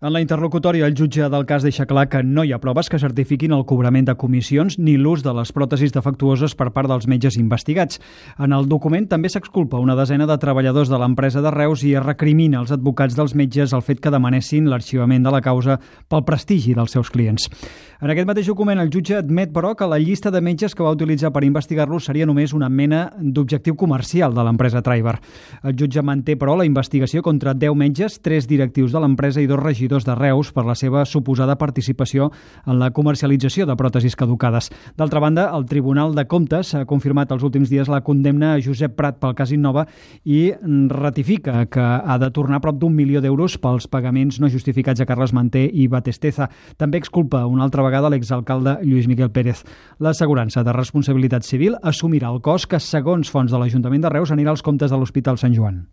En la interlocutòria, el jutge del cas deixa clar que no hi ha proves que certifiquin el cobrament de comissions ni l'ús de les pròtesis defectuoses per part dels metges investigats. En el document també s'exculpa una desena de treballadors de l'empresa de Reus i es recrimina als advocats dels metges el fet que demanessin l'arxivament de la causa pel prestigi dels seus clients. En aquest mateix document, el jutge admet, però, que la llista de metges que va utilitzar per investigar-lo seria només una mena d'objectiu comercial de l'empresa Traiber. El jutge manté, però, la investigació contra 10 metges, 3 directius de l'empresa i 2 regidors de Reus per la seva suposada participació en la comercialització de pròtesis caducades. D'altra banda, el Tribunal de Comptes ha confirmat els últims dies la condemna a Josep Prat pel cas Innova i ratifica que ha de tornar prop d'1 milió d'euros pels pagaments no justificats a Carles Manté i Batesteza. També exculpa una altra vegada l'exalcalde Lluís Miquel Pérez. L'assegurança de responsabilitat civil assumirà el cost que, segons fonts de l'Ajuntament de Reus, anirà als comptes de l'Hospital Sant Joan.